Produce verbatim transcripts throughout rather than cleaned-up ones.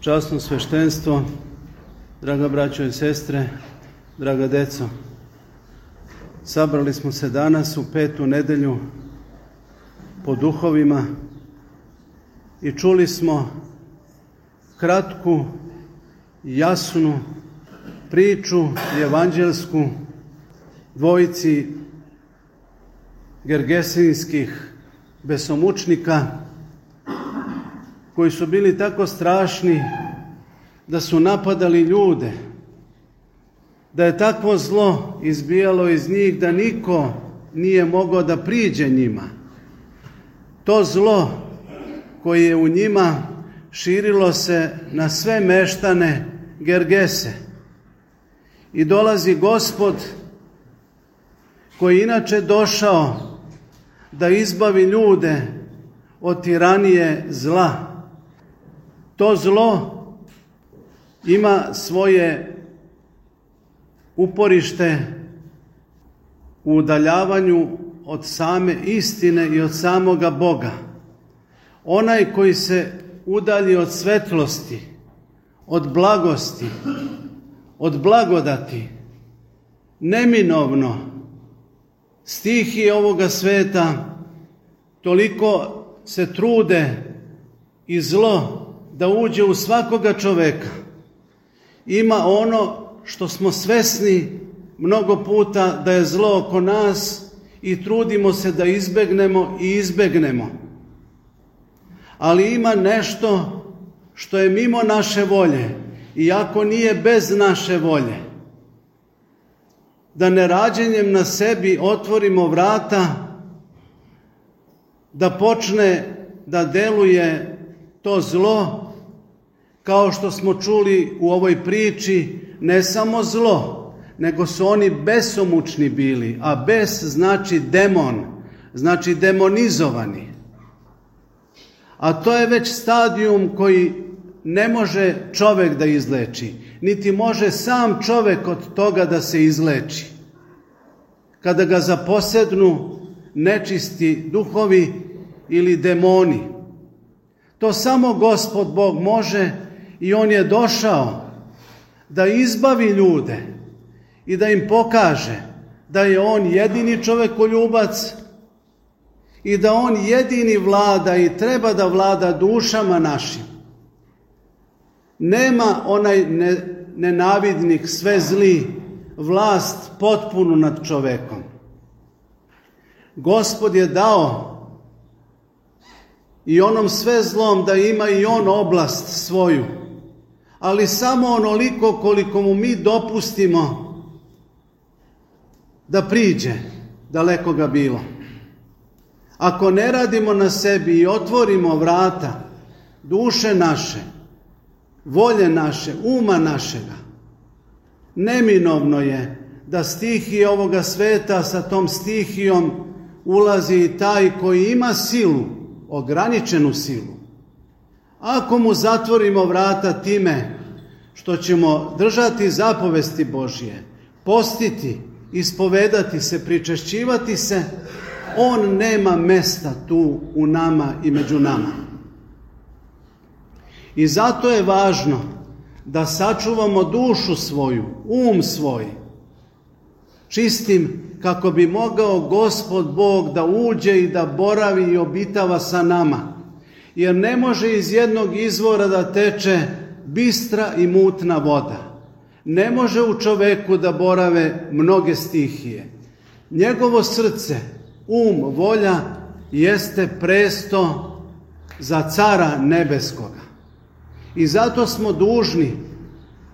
Časno sveštenstvo, draga braćo i sestre, draga deco, sabrali smo se danas u petu nedelju po duhovima i čuli smo kratku, jasnu priču evanđelsku dvojici gergesinskih besomučnika koji su bili tako strašni da su napadali ljude, da je takvo zlo izbijalo iz njih da niko nije mogao da priđe njima. To zlo koje je u njima širilo se na sve meštane Gergese. I dolazi Gospod koji je inače došao da izbavi ljude od tiranije zla. To zlo ima svoje uporište u udaljavanju od same istine i od samoga Boga. Onaj koji se udalji od svetlosti, od blagosti, od blagodati, neminovno stihije ovoga sveta toliko se trude i zlo da uđe u svakoga čoveka. Ima ono što smo svesni mnogo puta da je zlo oko nas i trudimo se da izbegnemo i izbegnemo. Ali ima nešto što je mimo naše volje, iako nije bez naše volje. Da nerađenjem na sebi otvorimo vrata, da počne da deluje to zlo, kao što smo čuli u ovoj priči, ne samo zlo, nego su oni besomučni bili, a bes znači demon, znači demonizovani. A to je već stadijum koji ne može čovek da izleči, niti može sam čovek od toga da se izleči. Kada ga zaposednu nečisti duhovi ili demoni. To samo Gospod Bog može i On je došao da izbavi ljude i da im pokaže da je On jedini čovekoljubac i da On jedini vlada i treba da vlada dušama našim. Nema onaj nenavidnik, sve zli, vlast potpunu nad čovekom. Gospod je dao i onom sve zlom da ima i on oblast svoju, ali samo onoliko koliko mu mi dopustimo da priđe, daleko ga bilo. Ako ne radimo na sebi i otvorimo vrata duše naše, volje naše, uma našega, neminovno je da stihije ovoga sveta sa tom stihijom ulazi i taj koji ima silu, ograničenu silu. Ako mu zatvorimo vrata time što ćemo držati zapovesti Božje, postiti, ispovedati se, pričešćivati se, on nema mesta tu u nama i među nama. I zato je važno da sačuvamo dušu svoju, um svoj, čistim kako bi mogao Gospod Bog da uđe i da boravi i obitava sa nama. Jer ne može iz jednog izvora da teče bistra i mutna voda. Ne može u čoveku da borave mnoge stihije. Njegovo srce, um, volja jeste presto za cara nebeskoga. I zato smo dužni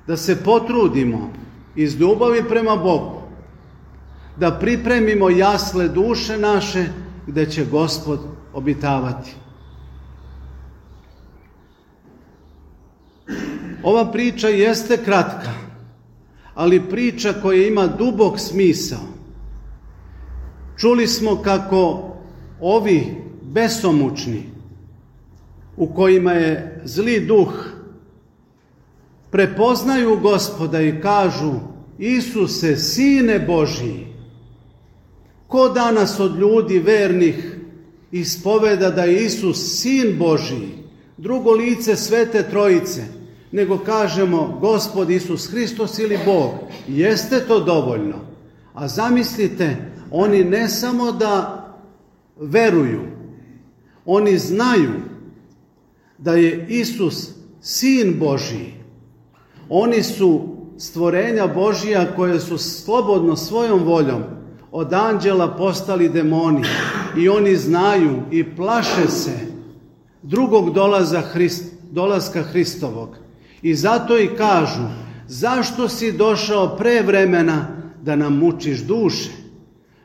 da se potrudimo iz ljubavi prema Bogu, da pripremimo jasle duše naše gde će Gospod obitavati. Ova priča jeste kratka, ali priča koja ima dubok smisao. Čuli smo kako ovi besomučni, u kojima je zli duh, prepoznaju Gospoda i kažu: Isuse, Sine Božiji. Ko danas od ljudi vernih ispoveda da je Isus Sin Božiji, drugo lice Svete Trojice, nego kažemo Gospod Isus Hristos ili Bog. Jeste to dovoljno. A zamislite, oni ne samo da veruju, oni znaju da je Isus Sin Božiji. Oni su stvorenja Božija koje su slobodno svojom voljom od anđela postali demoni i oni znaju i plaše se drugog dolaza Hrist, dolaska Hristovog. I zato i kažu, zašto si došao pre vremena da nam mučiš duše?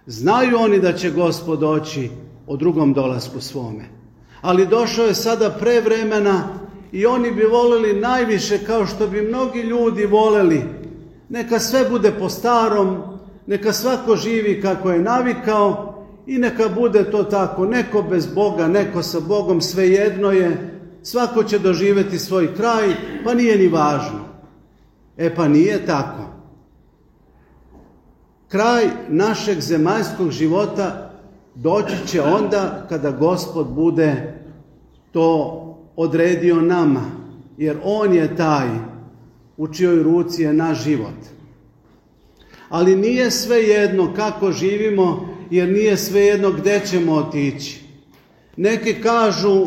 Znaju oni da će Gospod doći o drugom dolasku svome. Ali došao je sada pre vremena i oni bi voleli najviše, kao što bi mnogi ljudi voleli, neka sve bude po starom, neka svako živi kako je navikao i neka bude to tako, neko bez Boga, neko sa Bogom, svejedno je, svako će doživjeti svoj kraj, pa nije ni važno. E pa nije tako. Kraj našeg zemaljskog života doći će onda kada Gospod bude to odredio nama, jer On je taj u čijoj ruci je naš život. Ali nije svejedno kako živimo, jer nije svejedno gde ćemo otići. Neki kažu,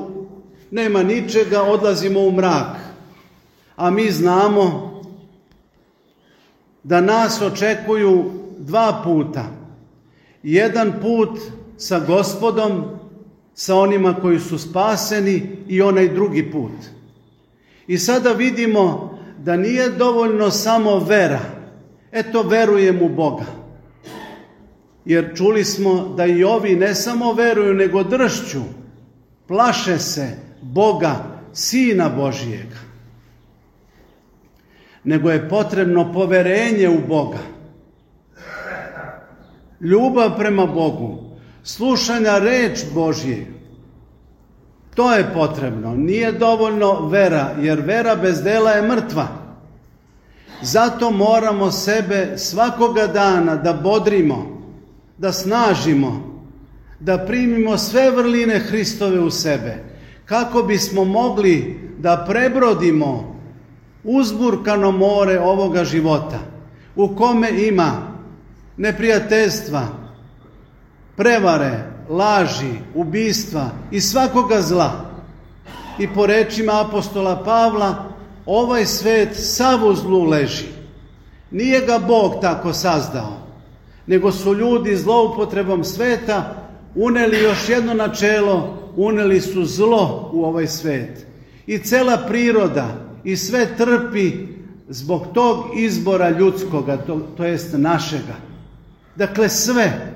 nema ničega, odlazimo u mrak. A mi znamo da nas očekuju dva puta. Jedan put sa Gospodom, sa onima koji su spaseni, i onaj drugi put. I sada vidimo da nije dovoljno samo vera. Eto, verujem u Boga. Jer čuli smo da i ovi ne samo veruju, nego dršću, plaše se Boga, Sina Božijega. Nego je potrebno poverenje u Boga. Ljubav prema Bogu, slušanja reč Božje. To je potrebno. Nije dovoljno vera, jer vera bez dela je mrtva. Zato moramo sebe svakoga dana da bodrimo, da snažimo, da primimo sve vrline Hristove u sebe, kako bismo mogli da prebrodimo uzburkano more ovoga života, u kome ima neprijateljstva, prevare, laži, ubistva i svakoga zla. I po rečima apostola Pavla, ovaj svet sav u zlu leži. Nije ga Bog tako sazdao, nego su ljudi zloupotrebom sveta uneli još jedno načelo, uneli su zlo u ovaj svet. I cela priroda i sve trpi zbog tog izbora ljudskoga, to, to jest našega. Dakle, sve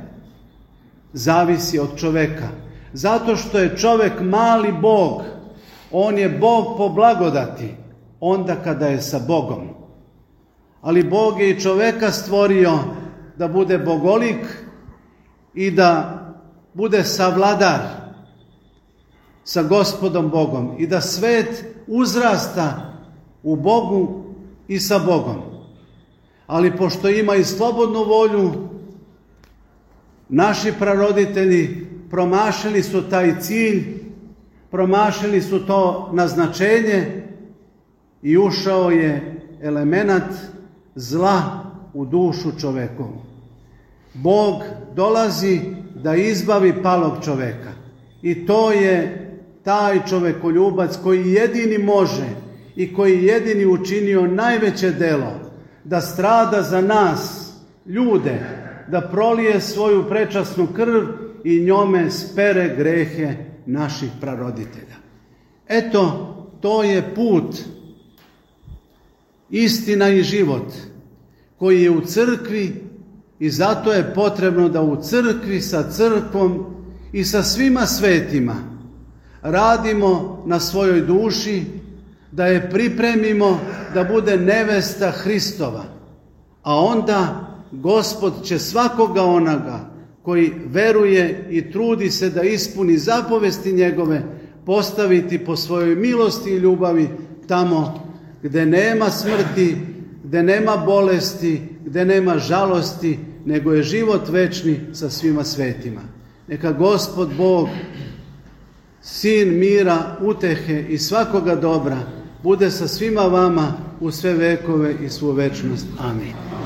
zavisi od čoveka. Zato što je čovek mali Bog. On je Bog po blagodati, onda kada je sa Bogom. Ali Bog je i čoveka stvorio da bude bogolik i da bude savladar sa Gospodom Bogom i da svet uzrasta u Bogu i sa Bogom. Ali pošto ima i slobodnu volju, naši praroditelji promašili su taj cilj, promašili su to naznačenje i ušao je elemenat zla u dušu čovekovu. Bog dolazi da izbavi palog čoveka i to je taj čovekoljubac koji jedini može i koji jedini učinio najveće delo da strada za nas, ljude, da prolije svoju prečasnu krv i njome spere grehe naših praroditelja. Eto, to je put, istina i život koji je u crkvi i zato je potrebno da u crkvi sa crkvom i sa svima svetima radimo na svojoj duši, da je pripremimo da bude nevesta Hristova, a onda Gospod će svakoga onoga koji veruje i trudi se da ispuni zapovesti njegove postaviti po svojoj milosti i ljubavi tamo gde nema smrti, gde nema bolesti, gde nema žalosti, nego je život večni sa svima svetima. Neka Gospod Bog, Sin mira, utehe i svakoga dobra, bude sa svima vama u sve vekove i svu večnost. Amin.